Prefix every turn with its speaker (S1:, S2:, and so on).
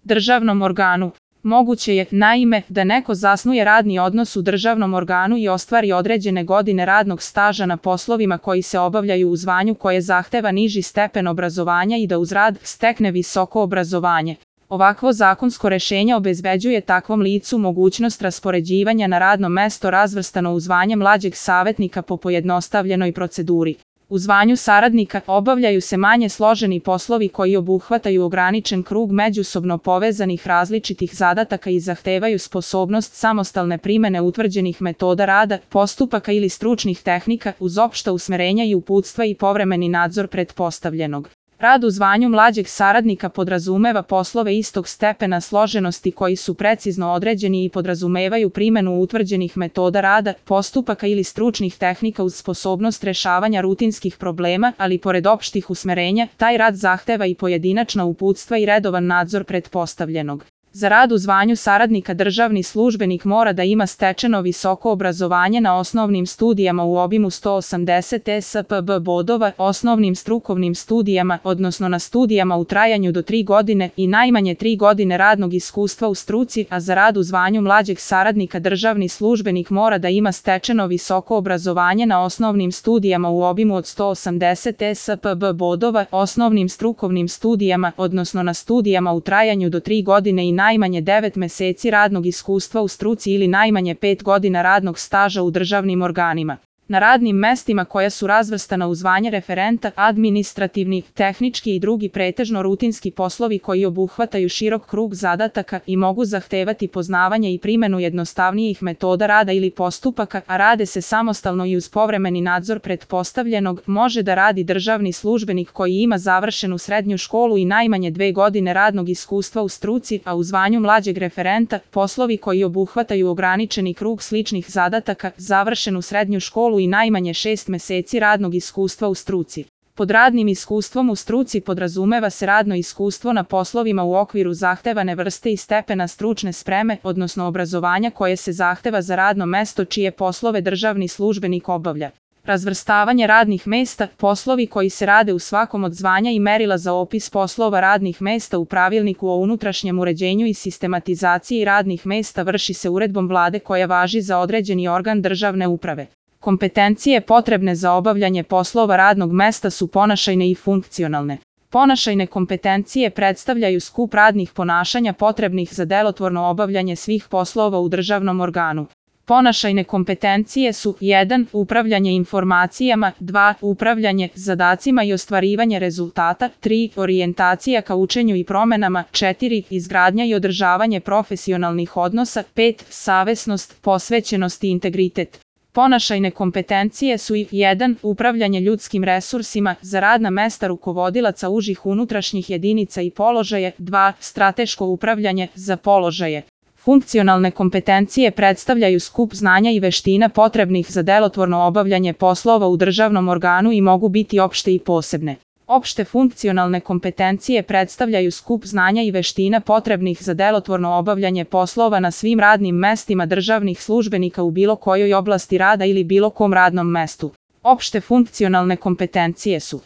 S1: državnom organu. Moguće je, naime, da neko zasnuje radni odnos u državnom organu i ostvari određene godine radnog staža na poslovima koji se obavljaju u zvanju koje zahteva niži stepen obrazovanja i da uz rad stekne visoko obrazovanje. Ovakvo zakonsko rešenje obezbeđuje takvom licu mogućnost raspoređivanja na radno mesto razvrstano u zvanje mlađeg savetnika po pojednostavljenoj proceduri. U zvanju saradnika obavljaju se manje složeni poslovi koji obuhvataju ograničen krug međusobno povezanih različitih zadataka i zahtevaju sposobnost samostalne primene utvrđenih metoda rada, postupaka ili stručnih tehnika uz opšta usmerenja i uputstva i povremeni nadzor pretpostavljenog. Rad u zvanju mlađeg saradnika podrazumeva poslove istog stepena složenosti koji su precizno određeni i podrazumevaju primenu utvrđenih metoda rada, postupaka ili stručnih tehnika uz sposobnost rešavanja rutinskih problema, ali pored opštih usmerenja, taj rad zahteva i pojedinačna uputstva i redovan nadzor pretpostavljenog. Za rad u zvanju saradnika državni službenik mora da ima stečeno visoko obrazovanje na osnovnim studijama u obimu 180 ESPB bodova, osnovnim strukovnim studijama, odnosno na studijama u trajanju do 3 godine i najmanje 3 godine radnog iskustva u struci, a za rad u zvanju mlađeg saradnika državni službenik mora da ima stečeno visoko obrazovanje na osnovnim studijama u obimu od 180 ESPB bodova, osnovnim strukovnim studijama, odnosno na studijama u trajanju do 3 godine i najmanje 9 meseci radnog iskustva u struci ili najmanje 5 godina radnog staža u državnim organima. Na radnim mestima koja su razvrstana u zvanje referenta, administrativni, tehnički i drugi pretežno rutinski poslovi koji obuhvataju širok krug zadataka i mogu zahtevati poznavanje i primenu jednostavnijih metoda rada ili postupaka, a rade se samostalno i uz povremeni nadzor pretpostavljenog, može da radi državni službenik koji ima završenu srednju školu i najmanje 2 godine radnog iskustva u struci, a u zvanju mlađeg referenta, poslovi koji obuhvataju ograničeni krug sličnih zadataka, završenu srednju školu i najmanje 6 meseci radnog iskustva u struci. Pod radnim iskustvom u struci podrazumeva se radno iskustvo na poslovima u okviru zahtevane vrste i stepena stručne spreme, odnosno obrazovanja koje se zahteva za radno mesto čije poslove državni službenik obavlja. Razvrstavanje radnih mesta, poslovi koji se rade u svakom od zvanja i merila za opis poslova radnih mesta u pravilniku o unutrašnjem uređenju i sistematizaciji radnih mesta vrši se uredbom Vlade koja važi za određeni organ državne uprave. Kompetencije potrebne za obavljanje poslova radnog mesta su ponašajne i funkcionalne. Ponašajne kompetencije predstavljaju skup radnih ponašanja potrebnih za delotvorno obavljanje svih poslova u državnom organu. Ponašajne kompetencije su 1. Upravljanje informacijama, 2. Upravljanje zadacima i ostvarivanje rezultata, 3. Orijentacija ka učenju i promenama, 4. Izgradnja i održavanje profesionalnih odnosa, 5. Savesnost, posvećenost i integritet. Ponašajne kompetencije su 1. Upravljanje ljudskim resursima za radna mesta rukovodilaca užih unutrašnjih jedinica i položaje, 2. Strateško upravljanje za položaje. Funkcionalne kompetencije predstavljaju skup znanja i veština potrebnih za delotvorno obavljanje poslova u državnom organu i mogu biti opšte i posebne. Opšte funkcionalne kompetencije predstavljaju skup znanja i veština potrebnih za delotvorno obavljanje poslova na svim radnim mestima državnih službenika u bilo kojoj oblasti rada ili bilo kom radnom mestu. Opšte funkcionalne kompetencije su